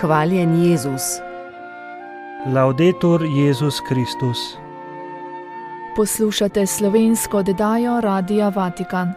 Hvaljen Jezus. Laudetur Jezus Kristus. Poslušate slovensko oddajo Radia Vatikan.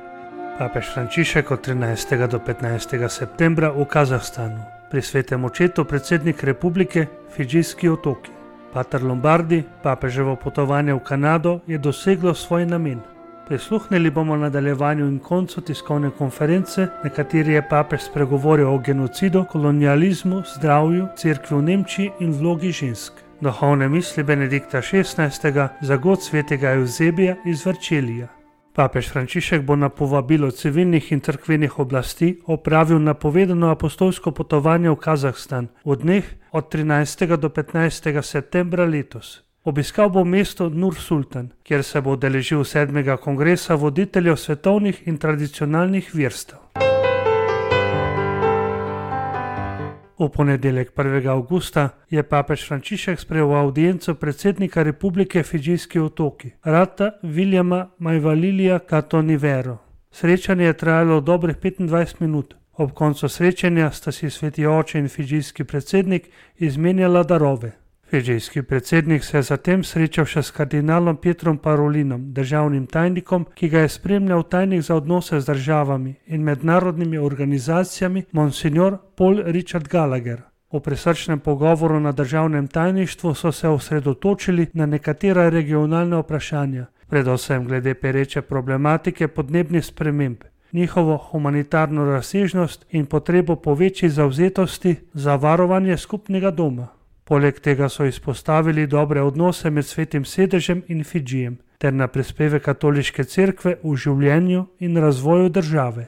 Papež Frančišek od 13. do 15. septembra v Kazahstanu. Pri svetem očetu predsednik republike Fidžijski otoki. Pater Lombardi, papeževo potovanje v Kanado je doseglo svoj namen. Prisluhnili bomo nadaljevanju in koncu tiskovne konference, na kateri je papež spregovoril o genocidu, kolonializmu, zdravju, cerkvi v Nemčiji in vlogi žensk. Duhovne misli Benedikta XVI. Za god svetega Evzebija iz Verčelija. Papež Frančišek bo na povabilo civilnih in cerkvenih oblasti opravil napovedano apostolsko potovanje v Kazahstan v dneh od 13. do 15. septembra letos. Obiskal bo mesto Nur Sultan, kjer se bo udeležil 7. kongresa voditeljev svetovnih in tradicionalnih verstev. V ponedeljek 1. avgusta je papež Frančišek sprejel audienco predsednika republike Fidžijski otoki, Rata Viljama Majvalilija Katonivero. Srečanje je trajalo dobrih 25 minut. Ob koncu srečanja sta si sveti oče in fidžijski predsednik izmenjala darove. Fidžijski predsednik se je zatem srečal še s kardinalom Pietrom Parolinom, državnim tajnikom, ki ga je spremljal tajnik za odnose z državami in mednarodnimi organizacijami Monsignor Paul Richard Gallagher. V prisrčnem pogovoru na državnem tajništvu so se osredotočili na nekatera regionalna vprašanja, predvsem glede pereče problematike podnebnih sprememb, njihovo humanitarno razsežnost in potrebo po večji zavzetosti za varovanje skupnega doma. Poleg tega so izpostavili dobre odnose med Svetim sedežem in Fidžijem, ter na prispevek katoliške cerkve v življenju in razvoju države.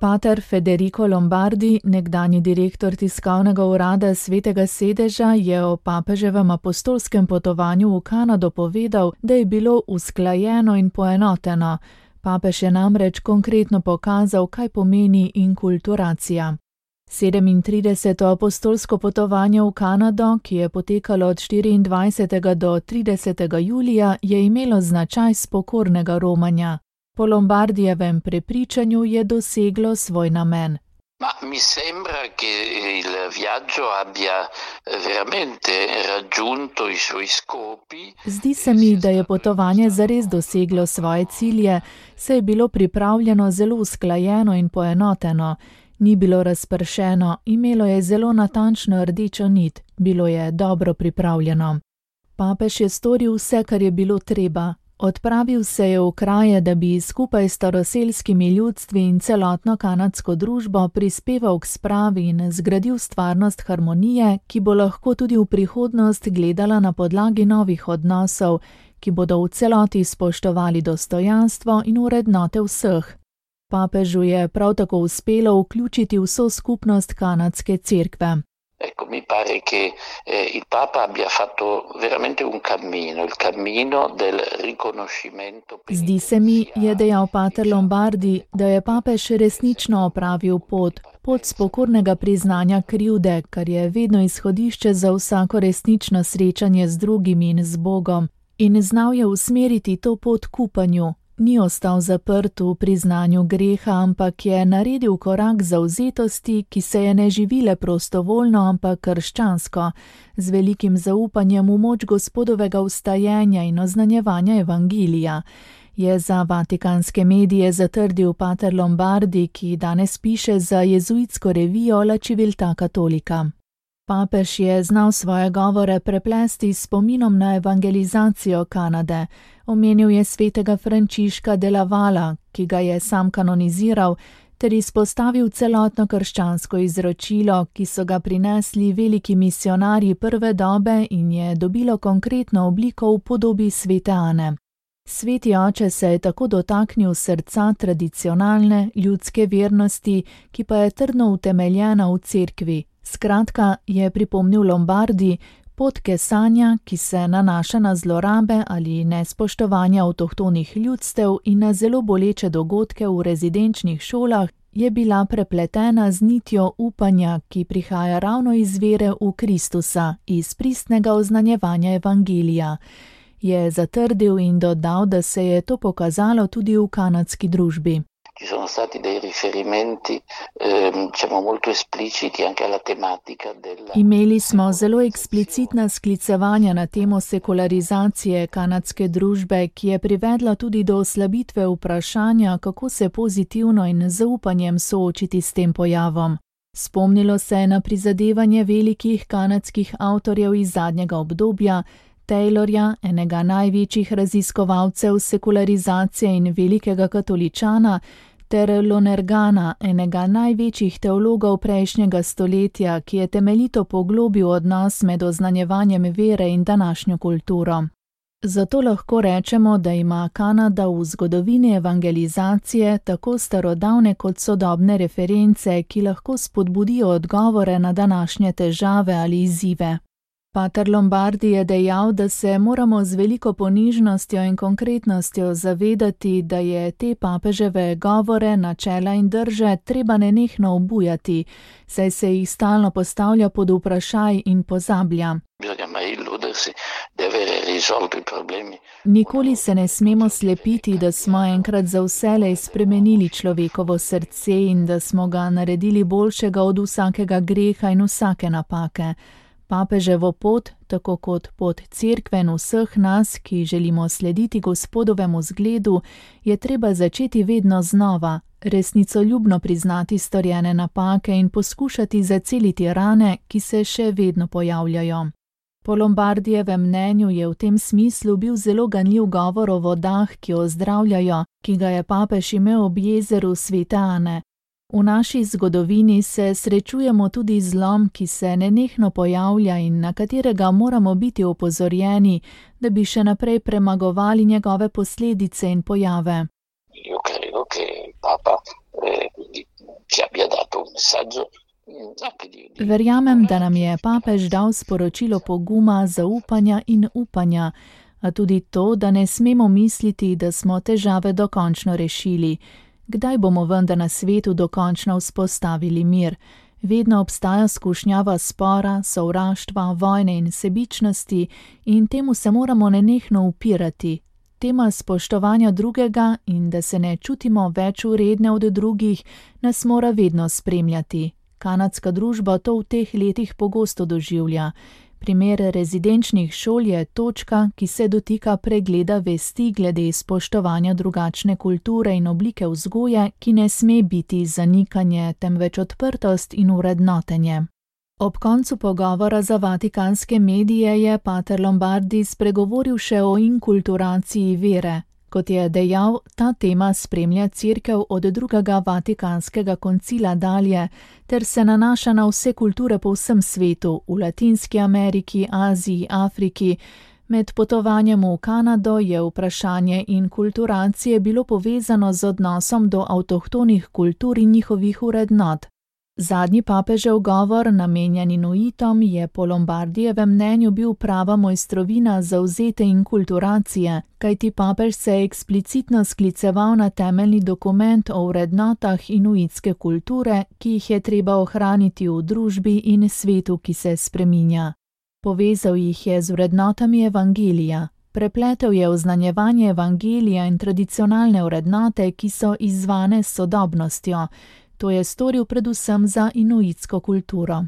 Pater Federico Lombardi, nekdanji direktor tiskovnega urada Svetega sedeža, je o papeževem apostolskem potovanju v Kanado povedal, da je bilo usklajeno in poenoteno. Papež je namreč konkretno pokazal, kaj pomeni inkulturacija. 37. apostolsko potovanje v Kanado, ki je potekalo od 24. do 30. julija, je imelo značaj spokornega romanja. Po Lombardijevem prepričanju je doseglo svoj namen. Mi sembra che il viaggio abbia veramente raggiunto i suoi scopi. Zdi se mi, da je potovanje zares doseglo svoje cilje, saj je bilo pripravljeno zelo usklajeno in poenoteno. Ni bilo razpršeno, imelo je zelo natančno rdečo nit, bilo je dobro pripravljeno. Papež je storil vse, kar je bilo treba. Odpravil se je v kraje, da bi skupaj s staroselskimi ljudstvi in celotno kanadsko družbo prispeval k spravi in zgradil stvarnost harmonije, ki bo lahko tudi v prihodnost gledala na podlagi novih odnosov, ki bodo v celoti spoštovali dostojanstvo in vrednote vseh. Papežu je prav tako uspelo vključiti vso skupnost kanadske cerkve. Mi pare che il Papa abbia fatto veramente un cammino, il cammino del riconoscimento. Zdi se mi, je dejal pater Lombardi, da je papež resnično opravil pot spokornega priznanja krivde, kar je vedno izhodišče za vsako resnično srečanje z drugimi in z Bogom, in znal je usmeriti to pot k upanju. Ni ostal zaprt v priznanju greha, ampak je naredil korak zavzetosti, ki se je ne živile prostovoljno, ampak krščansko, z velikim zaupanjem v moč Gospodovega vstajenja in oznanjevanja evangelija, je za vatikanske medije zatrdil pater Lombardi, ki danes piše za jezuitsko revijo La Civiltà Cattolica. Papež je znal svoje govore preplesti s spominom na evangelizacijo Kanade. Omenil je svetega Frančiška de la Vala, ki ga je sam kanoniziral, ter izpostavil celotno krščansko izročilo, ki so ga prinesli veliki misionarji prve dobe in je dobilo konkretno obliko v podobi svete Ane. Sveti oče se je tako dotaknil srca tradicionalne ljudske vernosti, ki pa je trdno utemeljena v cerkvi. Skratka, je pripomnil Lombardi, pot kesanja, ki se nanaša na zlorabe ali nespoštovanja avtohtonih ljudstev in na zelo boleče dogodke v rezidenčnih šolah, je bila prepletena z nitjo upanja, ki prihaja ravno iz vere v Kristusa, iz pristnega oznanjevanja evangelija. Je zatrdil in dodal, da se je to pokazalo tudi v kanadski družbi. ci sono stati dei riferimenti molto espliciti anche alla tematica della... Imeli smo zelo eksplicitna sklicevanja na temo sekularizacije kanadske družbe, ki je privedla tudi do oslabitve vprašanja, kako se pozitivno in z zaupanjem soočiti s tem pojavom. Spomnilo se je na prizadevanje velikih kanadskih avtorjev iz zadnjega obdobja, Taylorja, enega največjih raziskovalcev sekularizacije in velikega katoličana, ter Lonergana, enega največjih teologov prejšnjega stoletja, ki je temeljito poglobil odnos med oznanjevanjem vere in današnjo kulturo. Zato lahko rečemo, da ima Kanada v zgodovini evangelizacije tako starodavne kot sodobne reference, ki lahko spodbudijo odgovore na današnje težave ali izzive. Pater Lombardi je dejal, da se moramo z veliko ponižnostjo in konkretnostjo zavedati, da je te papeževe govore, načela in drže treba nenehno obujati, saj se jih stalno postavlja pod vprašaj in pozablja. Nikoli se ne smemo slepiti, da smo enkrat za vselej spremenili človekovo srce in da smo ga naredili boljšega od vsakega greha in vsake napake. Papeževo pot, tako kot pot cerkve in vseh nas, ki želimo slediti Gospodovemu zgledu, je treba začeti vedno znova, resnicoljubno priznati storjene napake in poskušati zaceliti rane, ki se še vedno pojavljajo. Po Lombardijevem mnenju je v tem smislu bil zelo ganljiv govor o vodah, ki ozdravljajo, ki ga je papež imel ob jezeru Svete Ane. V naši zgodovini se srečujemo tudi z zlom, ki se nenehno pojavlja in na katerega moramo biti opozorjeni, da bi še naprej premagovali njegove posledice in pojave. Verjamem, da nam je papež dal sporočilo poguma, zaupanja in upanja, a tudi to, da ne smemo misliti, da smo težave dokončno rešili. Kdaj bomo vendar na svetu dokončno vzpostavili mir? Vedno obstaja skušnjava spora, sovraštva, vojne in sebičnosti in temu se moramo nenehno upirati. Tema spoštovanja drugega in da se ne čutimo več vredne od drugih, nas mora vedno spremljati. Kanadska družba to v teh letih pogosto doživlja. Primer rezidenčnih šol je točka, ki se dotika pregleda vesti glede spoštovanja drugačne kulture in oblike vzgoje, ki ne sme biti zanikanje, temveč odprtost in vrednotenje. Ob koncu pogovora za vatikanske medije je pater Lombardi spregovoril še o inkulturaciji vere. Kot je dejal, ta tema spremlja cerkev od drugega vatikanskega koncila dalje, ter se nanaša na vse kulture po vsem svetu, v Latinski Ameriki, Aziji, Afriki. Med potovanjem v Kanado je vprašanje inkulturacije bilo povezano z odnosom do avtohtonih kultur in njihovih vrednot. Zadnji papežev govor, namenjen Inuitom, je po Lombardijevem mnenju bil prava mojstrovina zavzete inkulturacije, kajti papež se je eksplicitno skliceval na temeljni dokument o vrednotah inuitske kulture, ki jih je treba ohraniti v družbi in svetu, ki se spreminja. Povezal jih je z vrednotami evangelija. Prepletel je oznanjevanje evangelija in tradicionalne vrednote, ki so izzvane s sodobnostjo. To je storil predvsem za inuitsko kulturo.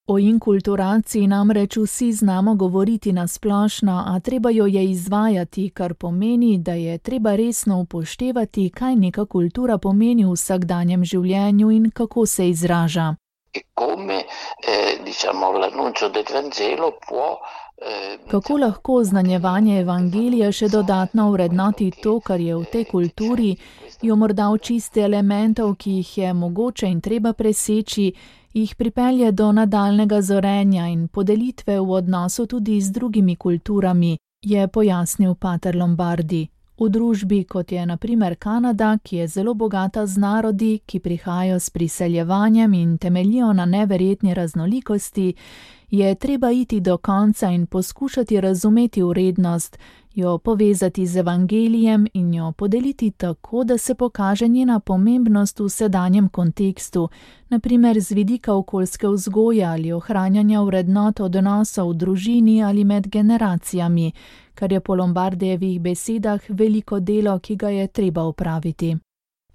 O inkulturaciji namreč vsi znamo govoriti na splošno, a treba jo je izvajati, kar pomeni, da je treba resno upoštevati, kaj neka kultura pomeni v vsakdanjem življenju in kako se izraža. Kako lahko oznanjevanje evangelija še dodatno vrednoti to, kar je v tej kulturi, jo morda očisti elementov, ki jih je mogoče in treba preseči, jih pripelje do nadaljnega zorenja in podelitve v odnosu tudi z drugimi kulturami, je pojasnil pater Lombardi. V družbi, kot je na primer Kanada, ki je zelo bogata z narodi, ki prihajajo s priseljevanjem in temeljijo na neverjetni raznolikosti, je treba iti do konca in poskušati razumeti vrednost, jo povezati z evangelijem in jo podeliti tako, da se pokaže njena pomembnost v sedanjem kontekstu, na primer z vidika okoljske vzgoje ali ohranjanja vrednot odnosov v družini ali med generacijami, kar je po Lombardijevih besedah veliko delo, ki ga je treba opraviti.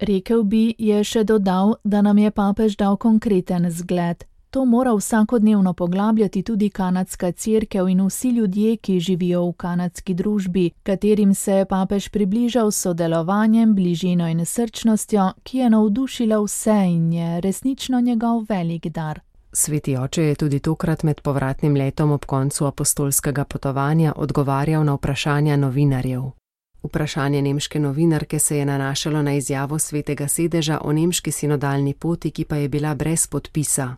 Rekel bi, je še dodal, da nam je papež dal konkreten zgled. To mora vsakodnevno poglabljati tudi kanadska cerkev in vsi ljudje, ki živijo v kanadski družbi, katerim se je papež približal s sodelovanjem, bližino in srčnostjo, ki je navdušila vse in je resnično njegov velik dar. Sveti oče je tudi tokrat med povratnim letom ob koncu apostolskega potovanja odgovarjal na vprašanja novinarjev. Vprašanje nemške novinarke se je nanašalo na izjavo Svetega sedeža o nemški sinodalni poti, ki pa je bila brez podpisa.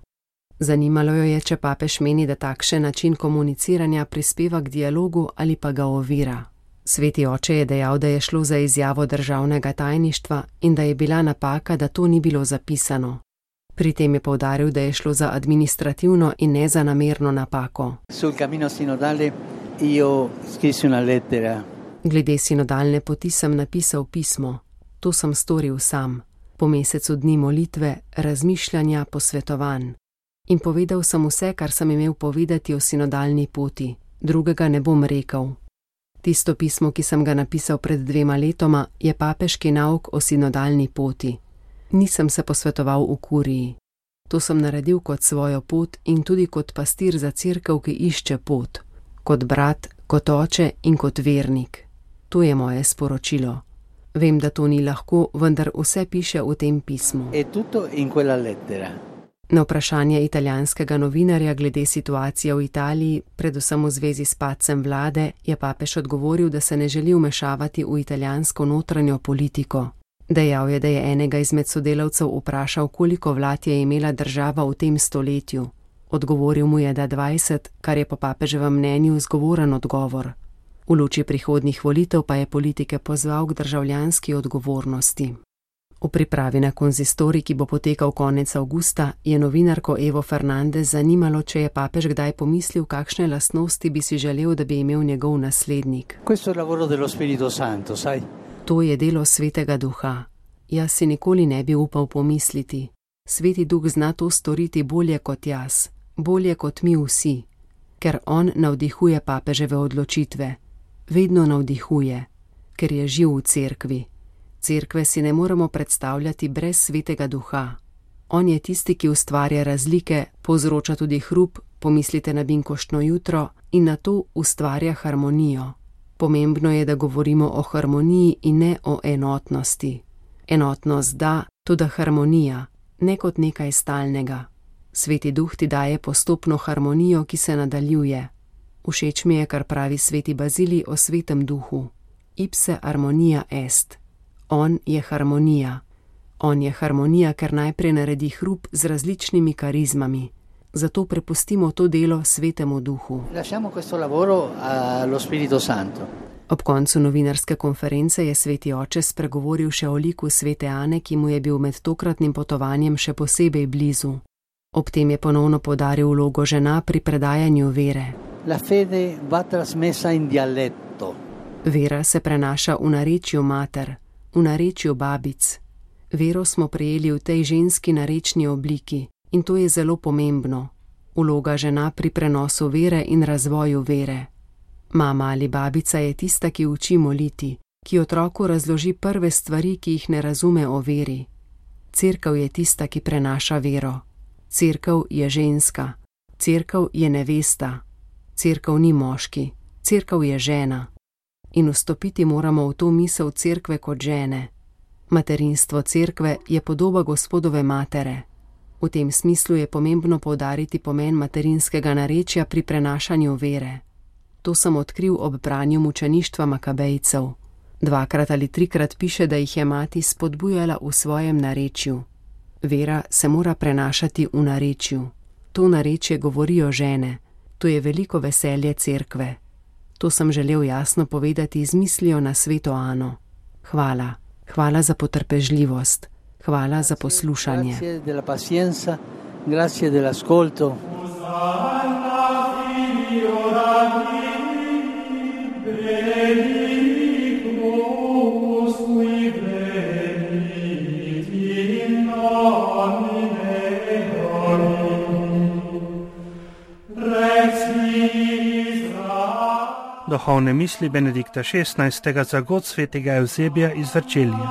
Zanimalo jo je, če papež meni, da takšen način komuniciranja prispeva k dialogu ali pa ga ovira. Sveti oče je dejal, da je šlo za izjavo državnega tajništva in da je bila napaka, da to ni bilo zapisano. Pri tem je poudaril, da je šlo za administrativno in ne za namerno napako. Glede sinodalne poti sem napisal pismo. To sem storil sam. Po mesecu dni molitve, razmišljanja, posvetovanj. In povedal sem vse, kar sem imel povedati o sinodalni poti. Drugega ne bom rekel. Tisto pismo, ki sem ga napisal pred 2 letoma, je papeški nauk o sinodalni poti. Nisem se posvetoval v kuriji. To sem naredil kot svojo pot in tudi kot pastir za cerkev, ki išče pot. Kot brat, kot oče in kot vernik. To je moje sporočilo. Vem, da to ni lahko, vendar vse piše v tem pismu. Na vprašanje italijanskega novinarja glede situacije v Italiji, predvsem v zvezi s padcem vlade, je papež odgovoril, da se ne želi vmešavati v italijansko notranjo politiko. Dejal je, da je enega izmed sodelavcev vprašal, koliko vlad je imela država v tem stoletju. Odgovoril mu je, da 20, kar je po papeževem mnenju zgovoren odgovor. V luči prihodnjih volitev pa je politike pozval k državljanski odgovornosti. V pripravi na konzistorij, ki bo potekal konec avgusta, je novinarko Evo Fernandez zanimalo, če je papež kdaj pomislil, kakšne lastnosti bi si želel, da bi imel njegov naslednik. To je delo Svetega Duha. Jaz si nikoli ne bi upal pomisliti. Sveti Duh zna to storiti bolje kot jaz, bolje kot mi vsi, ker on navdihuje papeževe odločitve. Vedno navdihuje, ker je živ v cerkvi. Cerkve si ne moremo predstavljati brez Svetega Duha. On je tisti, ki ustvarja razlike, povzroča tudi hrup, pomislite na binkoštno jutro, in na to ustvarja harmonijo. Pomembno je, da govorimo o harmoniji in ne o enotnosti. Enotnost da, toda harmonija, ne kot nekaj stalnega. Sveti Duh ti daje postopno harmonijo, ki se nadaljuje. Všeč mi je, kar pravi sveti Bazilij o Svetem Duhu. Ipse harmonia est. On je harmonija. On je harmonija, ker najprej naredi hrup z različnimi karizmami. Zato prepustimo to delo Svetemu Duhu. Ob koncu novinarske konference je sveti oče spregovoril še o liku svete Ane, ki mu je bil med tokratnim potovanjem še posebej blizu. Ob tem je ponovno poudaril vlogo žena pri predajanju vere. La fede va trasmessa in dialetto. Vera se prenaša v narečju mater, v narečju babic. Vero smo prejeli v tej ženski narečni obliki in to je zelo pomembno. Vloga žena pri prenosu vere in razvoju vere. Mama ali babica je tista, ki uči moliti, ki otroku razloži prve stvari, ki jih ne razume o veri. Cerkev je tista, ki prenaša vero. Cerkev je ženska. Cerkev je nevesta. Cerkev ni moški. Cerkev je žena. In vstopiti moramo v to misel cerkve kot žene. Materinstvo cerkve je podoba Gospodove matere. V tem smislu je pomembno poudariti pomen materinskega narečja pri prenašanju vere. To sem odkril ob branju mučeništva Makabejcev. 2 ali 3 piše, da jih je mati spodbujala v svojem narečju. Vera se mora prenašati v narečju. To narečje govorijo žene. To je veliko veselje cerkve. To sem želel jasno povedati z mislijo na sveto Ano. Hvala. Hvala za potrpežljivost. Hvala za poslušanje. Grazie della pazienza, grazie dell'ascolto. Duhovne misli Benedikta XVI. Za god svetega Evzebija iz Verčelija.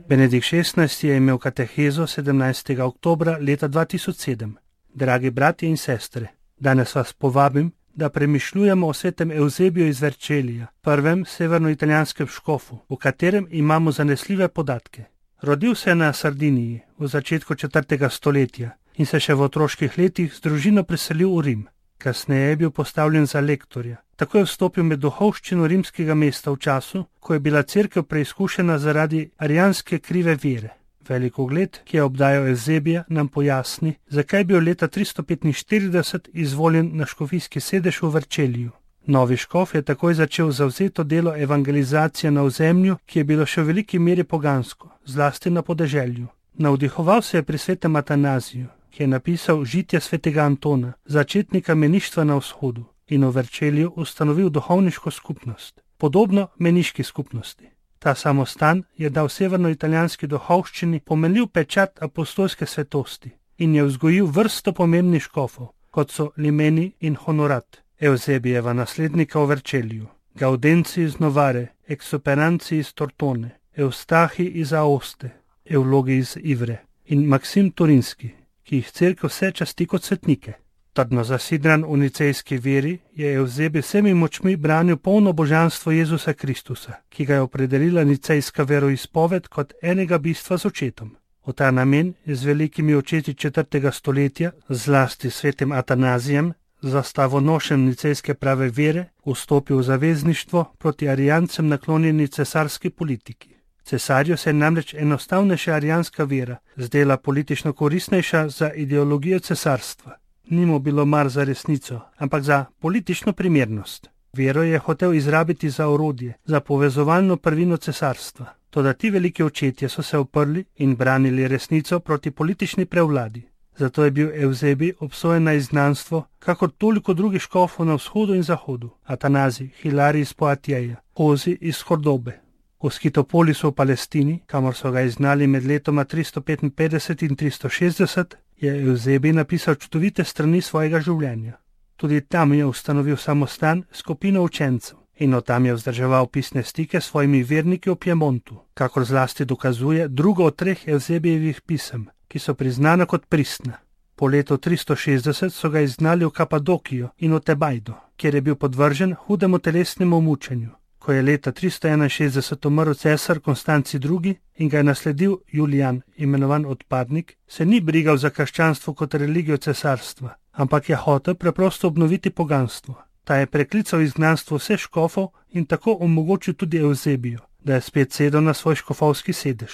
Benedikt XVI je imel katehezo 17. oktobra leta 2007. Dragi bratje in sestre, danes vas povabim, da premišljujemo o svetem Evzebiju iz Vercelija, prvem severnoitalijanskem škofu, o katerem imamo zanesljive podatke. Rodil se je na Sardiniji v začetku 4. stoletja in se še v otroških letih z družino preselil v Rim. Kasneje je bil postavljen za lektorja. Tako je vstopil med duhovščino rimskega mesta v času, ko je bila cerkev preizkušena zaradi arijanske krive vere. Velik ugled, ki je obdajal Evzebija, nam pojasni, zakaj je bil leta 345 izvoljen na škofijski sedež v Verceliju. Novi škof je takoj začel zavzeto delo evangelizacije na ozemlju, ki je bilo še v veliki meri pogansko, zlasti na podeželju. Navdihoval se je pri svetem Atanaziju, ki je napisal žitje svetega Antona, začetnika meništva na vzhodu, in v Verceliju ustanovil duhovniško skupnost, podobno meniški skupnosti. Ta samostan je dal severnoitalijanski duhovščini pomenljiv pečat apostolske svetosti in je vzgojil vrsto pomembnih škofov, kot so Limeni in Honorat, Evzebijeva naslednika v Verceliju, Gaudenci iz Novare, Exuperanci iz Tortone, Eustahi iz Aoste, Evlogi iz Ivre in Maksim Turinski, ki jih cerkev vse časti kot svetnike. Trdno zasidran v nicejski veri je Evzebij vsemi močmi branil polno božanstvo Jezusa Kristusa, ki ga je opredelila nicejska veroizpoved kot enega bistva z očetom. V ta namen je z velikimi očeti 4. stoletja, zlasti svetim Atanazijem, zastavonošem nicejske prave vere, vstopil v zavezništvo proti arijancem naklonjeni cesarski politiki. Cesarju se je namreč enostavnejša arijanska vera zdela politično koristnejša za ideologijo cesarstva. Ni mu bilo mar za resnico, ampak za politično primernost. Vero je hotel izrabiti za orodje, za povezovalno prvino cesarstva. Toda ti veliki očetje so se uprli in branili resnico proti politični prevladi. Zato je bil Evzebij obsojen na izgnanstvo, kakor toliko drugih škofov na vzhodu in zahodu. Atanazij, Hilarij iz Poatjeja, Hozi iz Kordobe. V Skitopolisu v Palestini, kamor so ga izgnali med letoma 355 in 360, je Evzebij napisal čudovite strani svojega življenja. Tudi tam je ustanovil samostan s skupino učencev in od tam je vzdrževal pisne stike s svojimi verniki v Piemontu, kakor zlasti dokazuje drugo od 3 Evzebijevih pisem, ki so priznana kot pristna. Po letu 360 so ga izgnali v Kapadokijo in v Tebajdo, kjer je bil podvržen hudemu telesnemu mučenju. Ko je leta 361 umrl cesar Konstanci II. In ga je nasledil Julijan, imenovan odpadnik, se ni brigal za krščanstvo kot religijo cesarstva, ampak je hotel preprosto obnoviti poganstvo. Ta je preklical izgnanstvo vseh škofov in tako omogočil tudi Evzebiju, da je spet sedel na svoj škofovski sedež.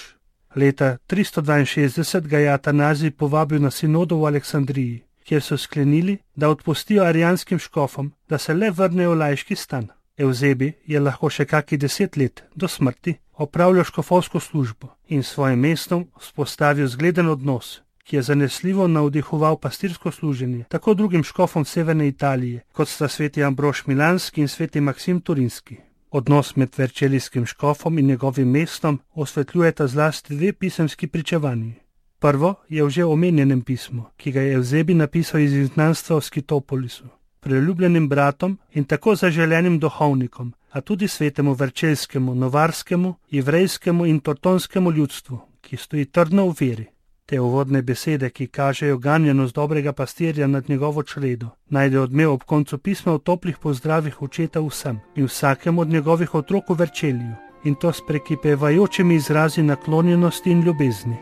Leta 362 ga je Atanazij povabil na sinodo v Aleksandriji, kjer so sklenili, da odpustijo arijanskim škofom, da se le vrnejo v laiški stan. Evzebij je lahko še kakih 10 let, do smrti, opravljal škofovsko službo in s svojim mestom vzpostavil zgleden odnos, ki je zanesljivo navdihoval pastirsko služenje tako drugim škofom severne Italije, kot sta sveti Ambrož Milanski in sveti Maksim Turinski. Odnos med verčelijskim škofom in njegovim mestom osvetljujeta zlasti 2 pisemski pričevanji. Prvo je v že omenjenem pismu, ki ga je Evzebij napisal iz izgnanstva v Skitopolisu, priljubljenim bratom in tako zaželenim duhovnikom, a tudi svetemu verčeljskemu, novarskemu, ivrejskemu in tortonskemu ljudstvu, ki stoji trdno v veri. Te uvodne besede, ki kažejo ganjenost dobrega pastirja nad njegovo čredo, najde odmev ob koncu pisma v toplih pozdravih očeta vsem in vsakemu od njegovih otrok v Vercelju, in to s prekipevajočimi izrazi naklonjenosti in ljubezni.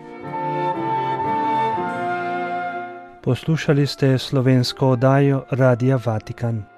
Poslušali ste slovensko oddajo Radia Vatikan.